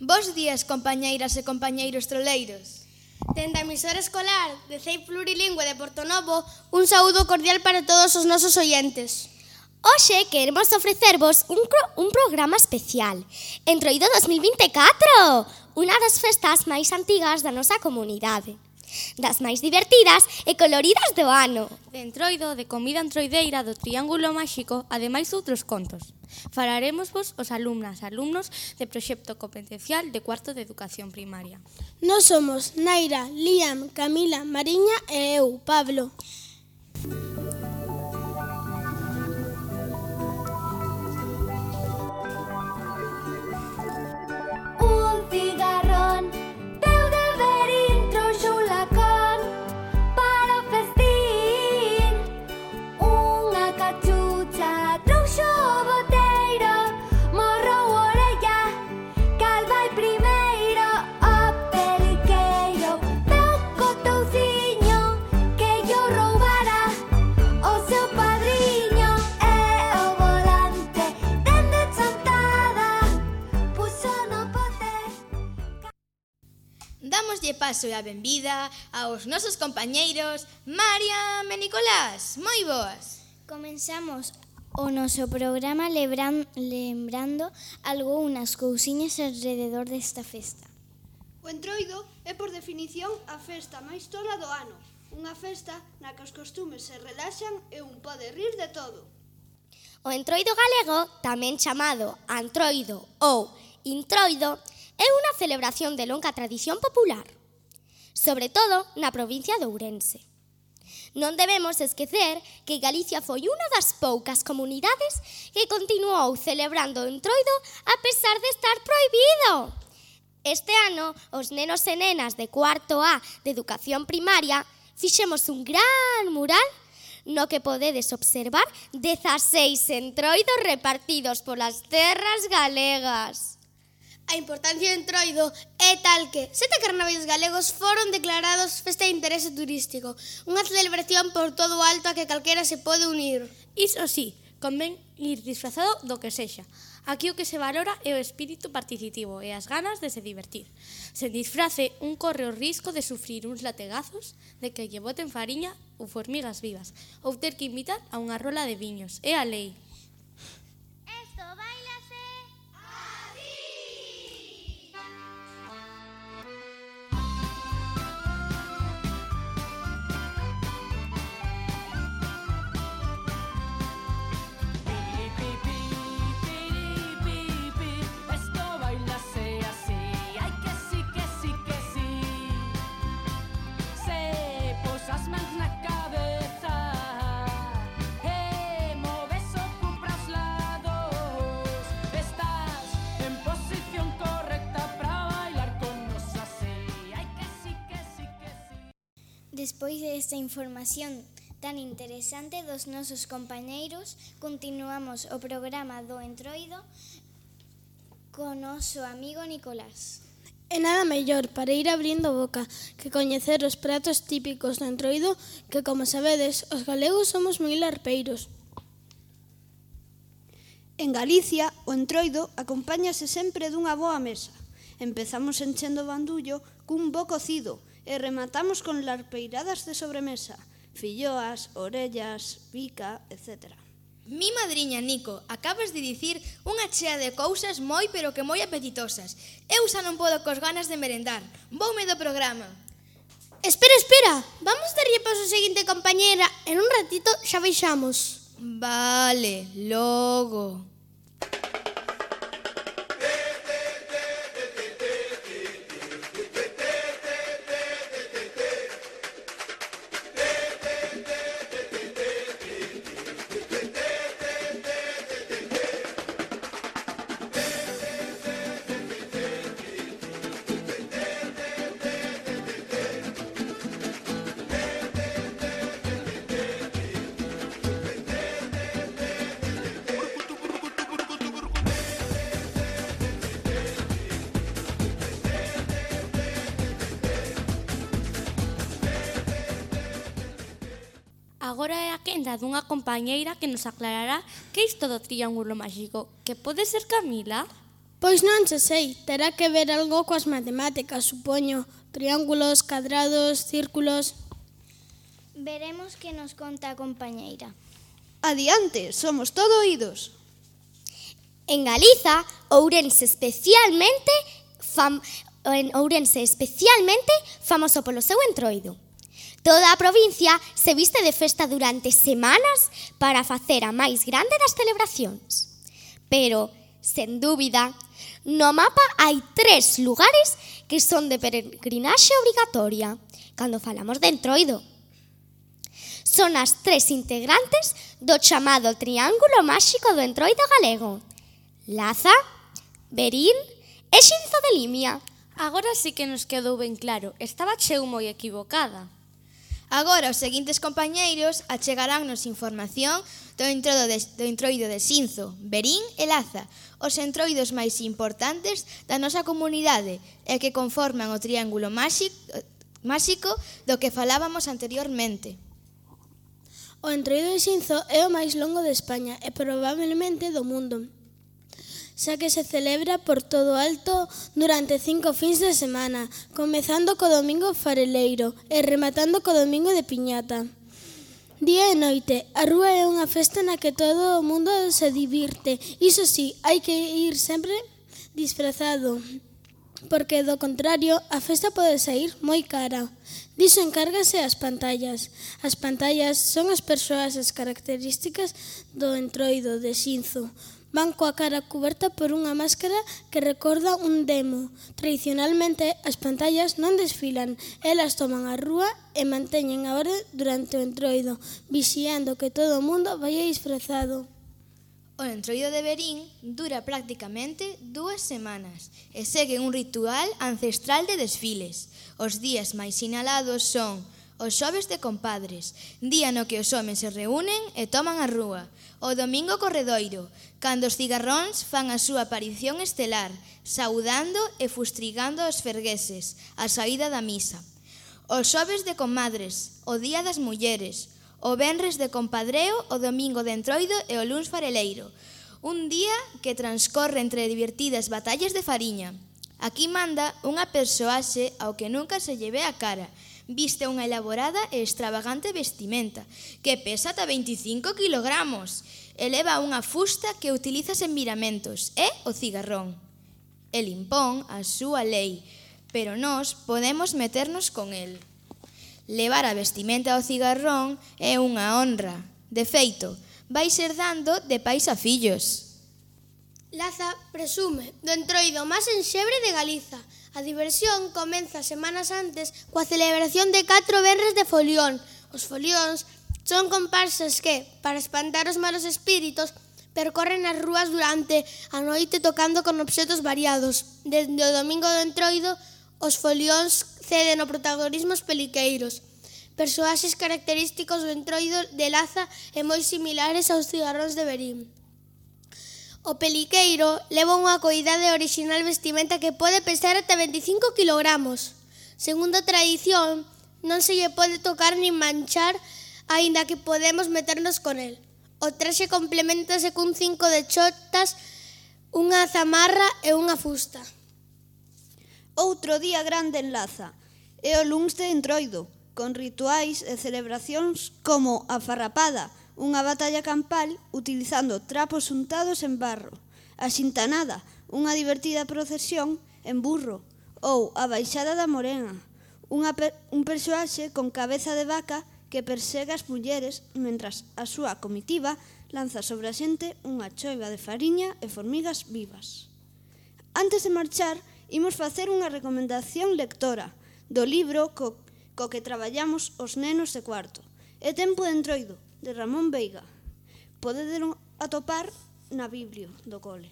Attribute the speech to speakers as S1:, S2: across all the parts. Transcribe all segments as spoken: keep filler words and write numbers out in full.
S1: Bos días, compañeiras e compañeiros troleiros.
S2: Dende a emisora escolar de C E I Plurilingüe de Portonovo, un saúdo cordial para todos os nosos oientes.
S3: Hoxe queremos ofrecervos un, un programa especial, Entroido dos mil vinte e catro, unha das festas máis antigas da nosa comunidade, das máis divertidas e coloridas do ano.
S4: De Entroido, de comida entroideira, do Triángulo Máxico, ademais de outros contos. Falaremosvos os alumnas e alumnos de proxecto competencial de cuarto de educación primaria.
S5: Nós somos Naira, Liam, Camila, Mariña e eu, Pablo.
S6: Un cigarrón deu de verín trouxo un lacón para o festín. Unha cachucha trouxo o boteiro, morrou a orella, cal vai primeiro? O periqueiro veu co touciño que llo roubara o seu padriño, e o volante dende chantada puxo no pote.
S1: Dámoslle paso e a benvida aos nosos compañeiros Mariam e Nicolás. Moi boas.
S3: Comenzamos o noso programa lebran, lembrando algunhas cousiñas alrededor desta festa.
S5: O Entroido é, por definición, a festa máis tola do ano. Unha festa na que os costumes se relaxan e un pode rir de todo.
S3: O Entroido galego, tamén chamado Antroido ou Introido, é unha celebración de longa tradición popular, sobre todo na provincia de Ourense. Non debemos esquecer que Galicia foi unha das poucas comunidades que continuou celebrando o Entroido a pesar de estar prohibido. Este ano, os nenos e nenas de cuarto A de educación primaria fixemos un gran mural no que podedes observar dezaseis entroidos repartidos polas terras galegas.
S2: A importancia do Entroido é tal que sete carnavais galegos foron declarados festa de interese turístico, unha celebración por todo o alto a que calquera se pode unir.
S4: Iso sí, convén ir disfrazado do que sexa. Aquí o que se valora é o espírito participativo e as ganas de se divertir. Sen disfrace, un corre o risco de sufrir uns lategazos, de que lle boten fariña ou formigas vivas, ou ter que invitar a unha rola de viños. É a lei.
S6: Esto bailase así.
S7: Esto bailase así, ai que sí, que sí, que sí. Se posas mans na cabeza e moves o cu para os lados, estás en posición correcta para bailar con nos así, ai que sí, que sí, que sí.
S3: Despois desta información tan interesante dos nosos compañeiros, continuamos o programa do Entroido co noso amigo Nicolás.
S5: E nada mellor para ir abrindo boca que coñecer os pratos típicos do Entroido, que, como sabedes, os galegos somos moi larpeiros. En Galicia, o Entroido acompáñase sempre dunha boa mesa. Empezamos enchendo o bandullo cun bo cocido e rematamos con larpeiradas de sobremesa, filloas, orellas, pica, etcétera.
S1: Mi madriña, Nico, acabas de dicir unha chea de cousas moi pero que moi apetitosas. Eu xa non podo cos ganas de merendar. Voume do programa.
S2: Espera, espera, vamos darlle paso ao seguinte compañera, en un ratito xa baixamos.
S1: Vale, logo.
S4: Agora é a quenda dunha compañeira que nos aclarará que isto do Triángulo Máxico, que pode ser Camila?
S2: Pois non se sei, terá que ver algo coas matemáticas, supoño. Triángulos, cadrados, círculos...
S6: Veremos que nos conta a compañeira.
S5: Adiante, somos todo oídos.
S3: En Galiza, Ourense especialmente fam, en Ourense especialmente famoso polo seu entroido. Toda a provincia se viste de festa durante semanas para facer a máis grande das celebracións. Pero, sen dúbida, no mapa hai tres lugares que son de peregrinaxe obrigatoria cando falamos de entroido. Son as tres integrantes do chamado Triángulo Máxico do Entroido galego: Laza, Verín e Xinzo de Limia.
S4: Agora sí que nos quedou ben claro, estaba cheu moi equivocada.
S1: Agora os seguintes compañeiros achegaránnos información do entroido de, do entroido de Xinzo, Verín e Laza, os entroidos máis importantes da nosa comunidade e que conforman o triángulo máxico, máxico do que falábamos anteriormente.
S2: O entroido de Xinzo é o máis longo de España e probablemente do mundo, xa que se celebra por todo alto durante cinco fins de semana, comezando co domingo fareleiro e rematando co domingo de piñata. Día e noite, a rúa é unha festa na que todo o mundo se divirte. Iso sí, hai que ir sempre disfrazado, porque do contrario a festa pode sair moi cara. Diso encárgase as pantallas. As pantallas son as persoas as características do entroido de Xinzo. Van coa cara cuberta por unha máscara que recorda un demo. Tradicionalmente, as pantallas non desfilan, elas toman a rúa e manteñen a orde durante o entroido, vixiando que todo o mundo vaya disfrazado.
S1: O entroido de Verín dura prácticamente dúas semanas e segue un ritual ancestral de desfiles. Os días máis sinalados son os xoves de compadres, día no que os homes se reúnen e toman a rúa. O domingo corredoiro, cando os cigarróns fan a súa aparición estelar, saudando e fustrigando os fergueses, a saída da misa. Os xoves de comadres, o día das mulleres. O venres de compadreo, o domingo de entroido e o luns fareleiro. Un día que transcorre entre divertidas batallas de fariña. Aquí manda unha persoaxe ao que nunca se lle ve a cara. Viste unha elaborada e extravagante vestimenta, que pesa ata veinticinco kilogramos, e leva unha fusta que utilizas en miramentos, e o cigarrón. El impón a súa lei, pero nós podemos meternos con el. Levar a vestimenta ao cigarrón é unha honra. De feito, vai ser dando de pais a fillos.
S2: Laza presume do entroido máis enxebre de Galiza. A diversión comeza semanas antes coa celebración de catro venres de folión. Os folións son comparsas que, para espantar os malos espíritos, percorren as rúas durante a noite tocando con obxetos variados. Desde o domingo do entroido, os folións ceden o protagonismo aos peliqueiros, persoaxes característicos do entroido de Laza e moi similares aos cigarróns de Verín. O peliqueiro leva unha coidade orixinal vestimenta que pode pesar ata veinticinco kilogramos. Segundo a tradición, non se lle pode tocar nin manchar, aínda que podemos meternos con el. O traxe complementase cun cinco de chotas, unha zamarra e unha fusta.
S5: Outro día grande en Laza é o luns de entroido, con rituais e celebracións como a farrapada, unha batalla campal utilizando trapos untados en barro, a xintanada, unha divertida procesión en burro, ou a baixada da morena, unha per, un persoaxe con cabeza de vaca que persegue as mulleres mentras a súa comitiva lanza sobre a xente unha choiva de fariña e formigas vivas. Antes de marchar, imos facer unha recomendación lectora do libro co, co que traballamos os nenos de cuarto. É Tempo de entroido, de Ramón Veiga. Podedelo atopar na Biblia do cole.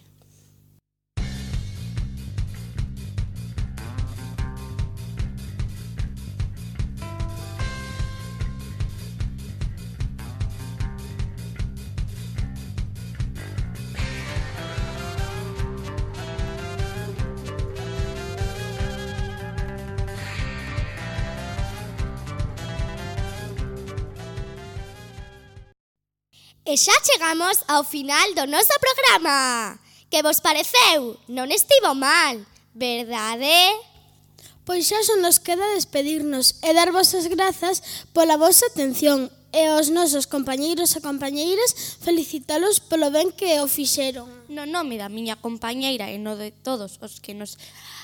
S3: E xa chegamos ao final do noso programa. Que vos pareceu? Non estivo mal, verdade?
S2: Pois xa só nos queda despedirnos e dar vos as grazas pola vosa atención e aos nosos compañeiros e compañeiras felicitalos polo ben que o fixeron.
S4: No nome da miña compañeira e no de todos os que nos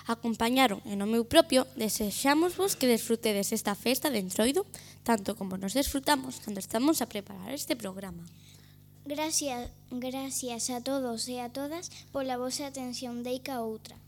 S4: acompañaron e no meu propio, desexámosvos que desfrutedes esta festa de Entroido tanto como nos desfrutamos cando estamos a preparar este programa.
S6: Gracias, gracias a todos e a todas pola vosa atención deica outra.